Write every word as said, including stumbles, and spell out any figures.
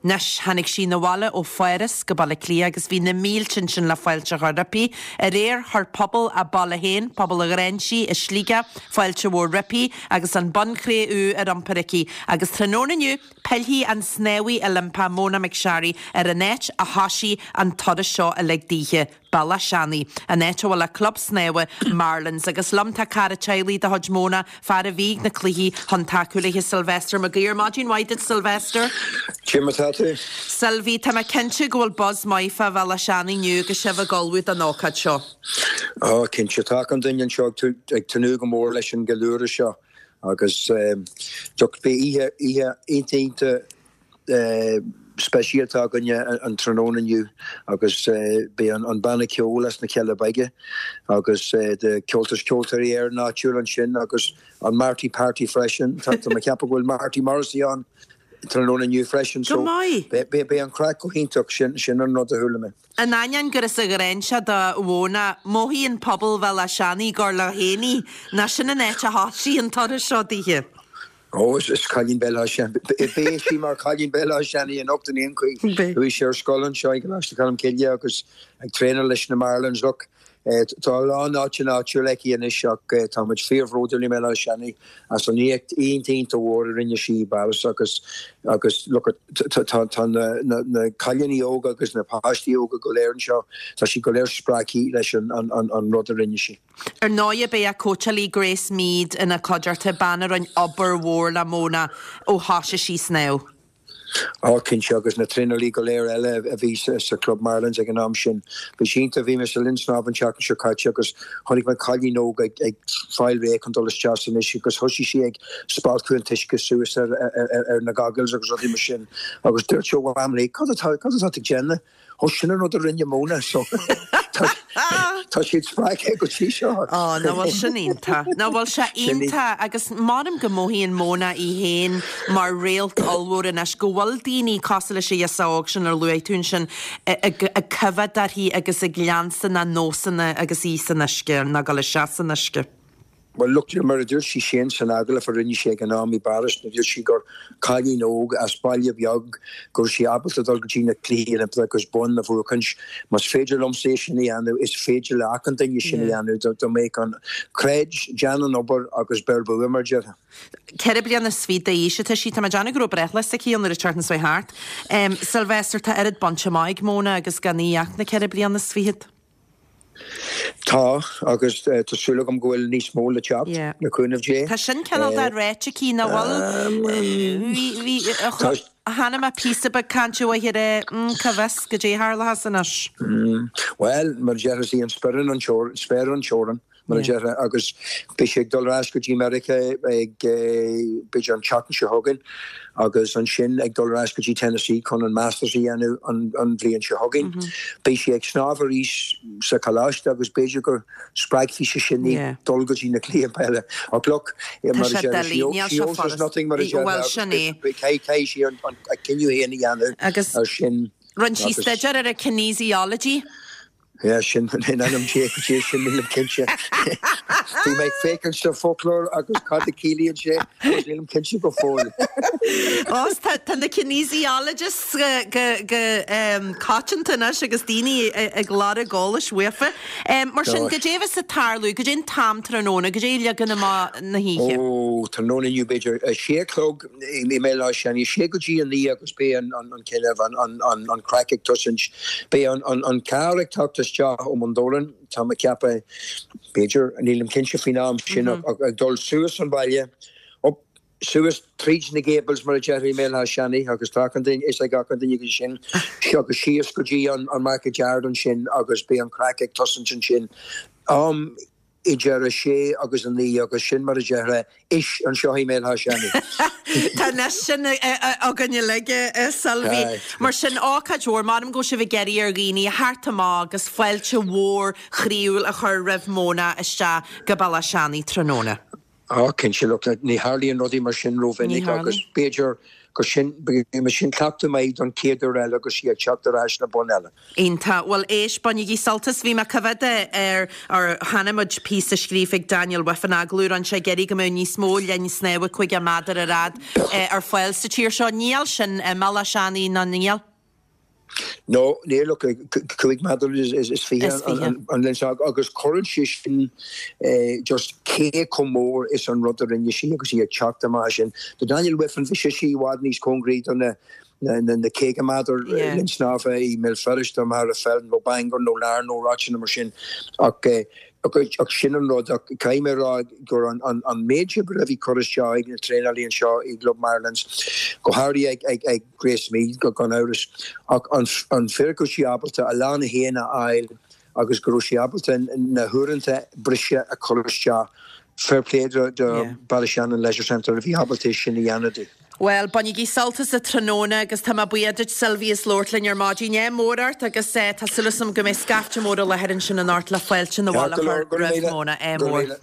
Anois, tháinig sí 'na bhaile ó Pháras go Baile Átha Cliath agus bhí na mílte ansin le fáilte a chur roimpi. Aréir, chuir pobal a baile féin, pobal an Ghráinsí i Sligeach, fáilte mhór roimpi agus an bonn cré-umha ar iompar aici. Agus tráthnóna inniu, pillfidh an snámhaí Oilimpeach Mona McSharry ar an áit a thosaigh an turas seo uilig daoithe, Bealach Seanaidh, an áit a bhfuil a club snámha Marlins. Agus liom tá cara teaghlaigh de chuid Mona, fear a bhí ag na cluichí chun tacú léi, Sylvester Mac Uidhir. Maidin mhaith duit, Sylvester. Cé mar tá tú? Sylvie, tá mé cinnte go bhfuil buzz maith fá Bhealach Seanaidh inniu agus sibh ag ullmhú don ócáid seo. Ó, cinnte, tá achan duine anseo ag tnúth go mór leis an gceiliúradh seo agus look, beidh oíche oíche iontach iontach speisialta againne an tráthnóna inniu agus beidh an banna ceoil as na Cealla Beaga agus the Ceoltas Ceoltóirí Éireann áitiúil ansin agus an Marty Party freisin. Tá mé ag ceapadh go bhfuil Marty Morrissey ann tráthnóna inniu freisin Go so maith. beidh an craic go hiontach sin sin an rud a chuala mé. In ainneoin gur as an Ghráinseach do Mhona, mothaíonn pobal Bhealach Seanaidh gur leo féin í, nó sin an áit a thosaigh an turas seo daoithe. Ó, is is cailín Béal Átha Seanaidh. Beidh sí mar cailín Béal Átha Seanaidh anocht in aon chaoi. Beidh. Chuaigh sí ar scoil anseo i gColáiste Cholm Cille agus ag traenáil leis na Marlins. Look, tá a lán áiteanna áitiúil aici anois ach tá muid fíorbhródúil i mBéal Átha Seanaidh as an éacht iontach iontach mhór a rinne sí i bPáras agus agus look tá tá na na na cailíní óga agus na páistí óga go léir anseo, tá sí go léir spreagtha leis an an an an rud a rinne sí. Ar ndóigh beidh a cóitseálaí Grace Meade ina cuideachta, bean a rinne obair mhór le Mona ó thosaigh sí snámh. Á cinnte agus na traenálaí go léir eile a bhí sa, sa Club Marlins ag an am sin. Bhí sé iontach, bhí mé sa linn snámh an tseachtain seo caite agus chonaic mé cailín óg ag, ag fáil réidh chun dul isteach san uisce agus thosaigh sí ag spalpadh an t-uisce suas ar, ar, ar, ar na goggles agus rudaí mar sin. Agus dúirt sí mham léi, cad atá cad atá tú ag déanamh? Ó sin an rud a rinne Mona so tá tá siad spreagtha go dtí seo. Á, nach bhfuil sin iontach. Nach bhfuil sé Sin í- iontach agus measaim go mothaíonn Mona í féin mar réalt ollmhór anois go bhfuil daoine cosúil leis an ghirseach óg sin ar luaigh tú ansin ag ag coimhéad uirthi agus ag leanstan a nósanna agus í san uisce nó ag dul isteach san uisce. Well, look, mar a dúirt sí sin san agallamh a rinne sí ag an am i bPáras, na dúirt sí gur cailín óg as baile beag go raibh sí ábalta dul go dtí na cluichí Oilimpeacha agus bonn a bhuachaint. Más féidir liomsa é sin a dhéanamh, is féidir le achan duine sin a Yeah. dhéanamh do do mbeidh an creid déan an obair agus beir bua mar déarfá. Ceithre bliana is fiche d'aois atá sí, tá mé ag déanamh go raibh breithlá s'aici an uair a teartan seo thart. Um, Sylvester tá oiread bainte amach ag Mona agus gan í ach na ceithre bliana is fiche. Tá agus uh, tá súil agam go bhfuil níos mó le teacht Yeah. le cúnamh Dé. Tá sin cineál de ráite aici nach bhfuil bhí Tá- Hanna me pí be cainte uaithe cá bhfios goidé a tharlós anois. Mm, well, mar deir sí an spéir an spéir an teorainn mar Yeah. deir agus beidh sí ag dul ar ais go dtí America ag b'fhéidir an tseachtain seo chugainn agus ansin ag dul ar ais go dtí Tennessee chun an Masters a dhéanamh an, an bhliain seo chugainn. Mm -hmm. Beidh sí ag snámh arís sa choláiste agus b'fhéidir go spreagfaidh sé sin í Yeah. dul go dtí na cluichí peile. Ach look, Tá sé doiligh, níl sé furast. nothing mar Well, sin é. Caithfidh sí an an- a cinneadh féin a dhéanamh Agus ar sin Rinne sí agus- staidéar ar a kinesiology. Ja, sin in anam sé sé sin nílim cinnte. Bhí mé féachaint sa foclóir agus cad a chiallaíonn sé agus nílim cinnte go fóill. Ó tá tá na kinesiologists go go go um, coitianta anois agus daoine ag lorg eolais uafa. Um, mar sin Gosh. goidé a bheas ag tarlú, goidé an t-am tráthnóna, goidé leagan amach na hoíche. Ó tráthnóna inniu b'fhéidir a sé chlog i mBéal Átha Seanaidh sé go dtí a naoi agus beidh an an an cineh an an an an craic ag tosaint. Beidh an an an carr ag teacht isteach ó Bundoran tá mé ag ceapadh b'fhéidir nílim cinnte faoin am sin ach ag dul suas an baile up suas tríd na Gables mar a déarfá i mBéal Átha Seanaidh agus tá an duine is ag an duine go sin agus síos go dtí an an market yard ansin agus beidh an craic ag tosaint ansin. Um, idir a sé agus a naoi agus sin mar a déarfá is anseo i mBéal Átha Seanaidh. Tá na sin againne uilig Sylvie. Aye. Mar sin ócáid mhór, mar go sibh ag iarraidh ar dhaoine theacht amach agus fáilte mhór chroíúil a chur roimh Mona isteach go Bealach Seanaidh tráthnóna. Á cinnte look ní tharlaíonn rudaí mar sin Ní rómhinic tharlaíonn. agus b'fhéidir gur sin sin cleachtadh maith don chéad uair eile agus í ag teacht ar ais na bonn eile. Iontach. Bhuel éist, bainigí sult as. Bhí mé ag coimhéad ar ar chonaic muid píosa scríofa ag Daniel Wiffen agallamh a rinne sé ag iarraidh go mbeadh níos mó linn snámha caoga méadar ar fhad ar fáil sa tír seo. Níl sin i mBaile Seanaidh ná níl? No, níl ach cúig méadar is fiche an linn agus cuireann sé sin just cé chomh mór is an rud a rinne sí agus í ag teacht amach sin. Do Daniel Wiffen bhí sé sí i bhfad níos cóngaraí do na na caoga méadar linn snámha i mBéal Feirste mar a fel nó Bangor nó Larne nó áiteanna mar sin ach ach sin an rud ach caithfidh mé rá gur an an an méid oibre a bhí curtha isteach ag na traenálaí anseo i gClub Marilyns go háirithe ag ag ag Grace Meade go gan amhras ach an an fíric go raibh sí ábalta a lán a haon a fháil agus go raibh sí ábalta na huaireanta breise a chur isteach fair play do do Ballyshannon Leisure Centre a bhí ábalta sin a dhéanamh di. Well, bainigí sult as an tráthnóna agus tá mé buíoch duit Sylvie as labhairt linn ar maidin. Ádh mór ort agus tá súil agam go mbeidh scaifte mór i láthair ansin anocht le fáilte na bhaile chur roimh Mona. Ádh mór.